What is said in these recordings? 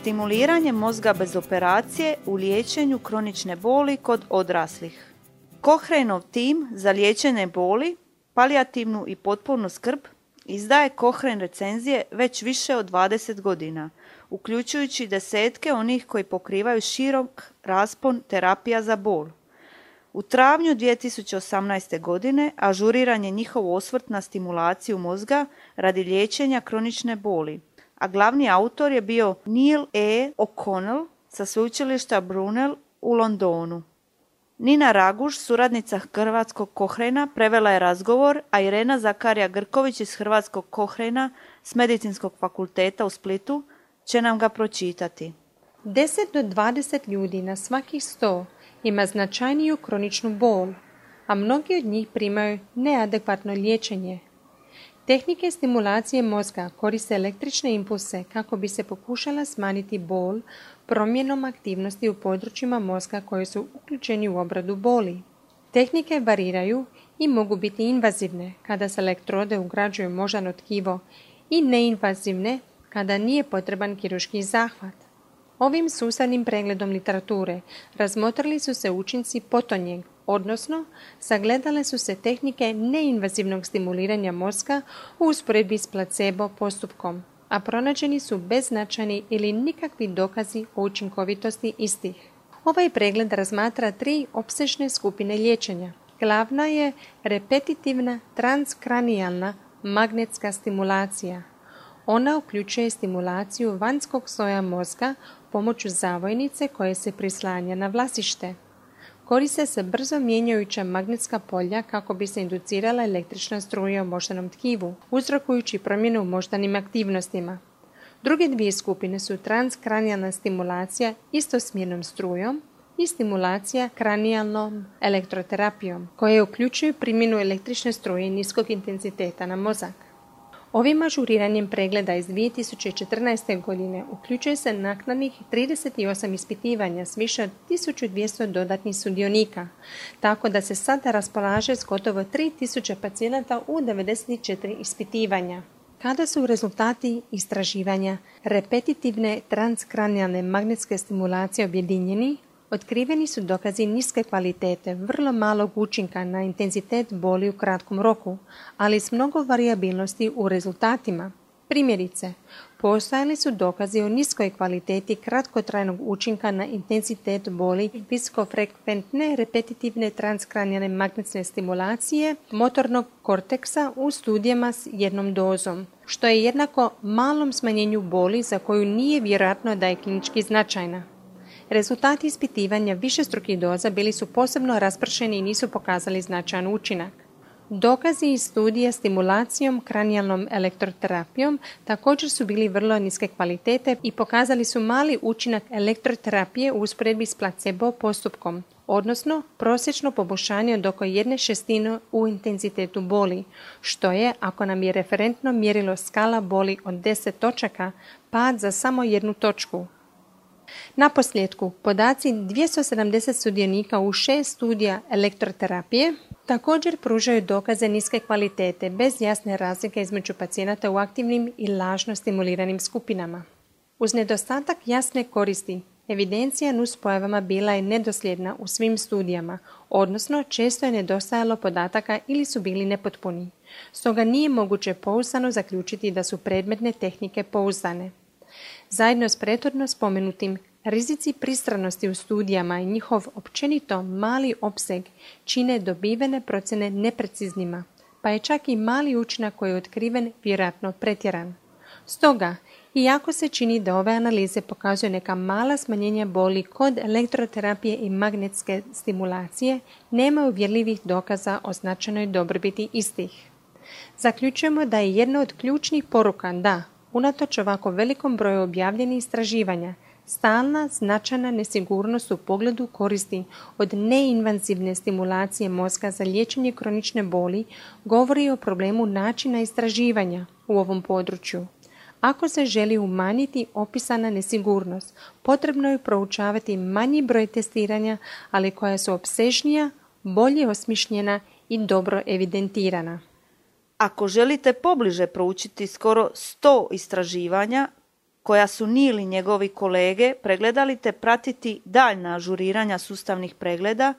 Stimuliranje mozga bez operacije u liječenju kronične boli kod odraslih. Cochraneov tim za liječenje boli, palijativnu i potpunu skrb izdaje Cochrane recenzije već više od 20 godina, uključujući desetke onih koji pokrivaju širok raspon terapija za bol. U travnju 2018. godine ažuriran je njihov osvrt na stimulaciju mozga radi liječenja kronične boli, a glavni autor je bio Neil E. O'Connell sa sveučilišta Brunel u Londonu. Nina Raguž, suradnica Hrvatskog Cochrana, prevela je razgovor, a Irena Zakarija Grković iz Hrvatskog Cochrana s Medicinskog fakulteta u Splitu će nam ga pročitati. 10 do 20 ljudi na svakih 100 ima značajniju kroničnu bol, a mnogi od njih primaju neadekvatno liječenje. Tehnike stimulacije mozga koriste električne impulse kako bi se pokušala smanjiti bol promjenom aktivnosti u područjima mozga koji su uključeni u obradu boli. Tehnike variraju i mogu biti invazivne kada se elektrode ugrađuju u moždano tkivo i neinvazivne kada nije potreban kirurški zahvat. Ovim sustavnim pregledom literature razmotrili su se učinci potonjeg, odnosno sagledale su se tehnike neinvazivnog stimuliranja mozga u usporedbi s placebo postupkom, a pronađeni su beznačajni ili nikakvi dokazi o učinkovitosti istih. Ovaj pregled razmatra 3 opsežne skupine liječenja. Glavna je repetitivna transkranijalna magnetska stimulacija. Ona uključuje stimulaciju vanjskog sloja mozga pomoću zavojnice koje se prislanja na vlasište. Koriste se brzo mijenjajuća magnetska polja kako bi se inducirala električna struja u moždanom tkivu, uzrokujući promjene u moždanim aktivnostima. Druge 2 skupine su transkranijalna stimulacija istosmjernom strujom i stimulacija kranijalnom elektroterapijom, koje uključuju primjenu električne struje niskog intenziteta na mozak. Ovim ažuriranjem pregleda iz 2014. godine uključuje se naknadnih 38 ispitivanja s više od 1200 dodatnih sudionika, tako da se sada raspolaže s gotovo 3000 pacijenata u 94 ispitivanja. Kada su rezultati istraživanja repetitivne transkranijalne magnetske stimulacije objedinjeni, otkriveni su dokazi niske kvalitete, vrlo malog učinka na intenzitet boli u kratkom roku, ali s mnogo varijabilnosti u rezultatima. Primjerice, postojali su dokazi o niskoj kvaliteti kratkotrajnog učinka na intenzitet boli visokofrekventne repetitivne transkranijalne magnetne stimulacije motornog korteksa u studijama s jednom dozom, što je jednako malom smanjenju boli za koju nije vjerojatno da je klinički značajna. Rezultati ispitivanja višestrukih doza bili su posebno raspršeni i nisu pokazali značajan učinak. Dokazi iz studija stimulacijom kranijalnom elektroterapijom također su bili vrlo niske kvalitete i pokazali su mali učinak elektroterapije u usporedbi s placebo postupkom, odnosno prosječno poboljšanje od oko 1/6 u intenzitetu boli, što je, ako nam je referentno mjerilo skala boli od 10 točaka, pad za samo 1 točku. Naposljetku, podaci 270 sudionika u 6 studija elektroterapije također pružaju dokaze niske kvalitete bez jasne razlike između pacijenata u aktivnim i lažno stimuliranim skupinama. Uz nedostatak jasne koristi, evidencija nuspojavama bila je nedosljedna u svim studijama, odnosno često je nedostajalo podataka ili su bili nepotpuni. Stoga nije moguće pouzdano zaključiti da su predmetne tehnike pouzdane. Zajedno s prethodno spomenutim, rizici pristranosti u studijama i njihov općenito mali opseg čine dobivene procjene nepreciznima, pa je čak i mali učinak koji je otkriven vjerojatno pretjeran. Stoga, iako se čini da ove analize pokazuju neka mala smanjenja boli kod elektroterapije i magnetske stimulacije, nema uvjerljivih dokaza o značajnoj dobrobiti istih. Zaključujemo da je jedna od ključnih poruka da, unatoč ovako velikom broju objavljenih istraživanja, stalna značajna nesigurnost u pogledu koristi od neinvazivne stimulacije mozga za liječenje kronične boli govori o problemu načina istraživanja u ovom području. Ako se želi umanjiti opisana nesigurnost, potrebno je proučavati manji broj testiranja, ali koja su opsežnija, bolje osmišljena i dobro evidentirana. Ako želite pobliže proučiti skoro 100 istraživanja koja su Neil i njegovi kolege pregledali te pratiti daljna ažuriranja sustavnih pregleda,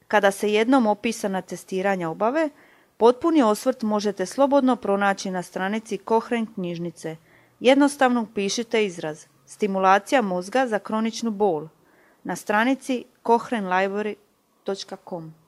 kada se jednom opisana testiranja obave, potpuni osvrt možete slobodno pronaći na stranici Cochrane knjižnice. Jednostavno upišite izraz stimulacija mozga za kroničnu bol na stranici cochranelibrary.com.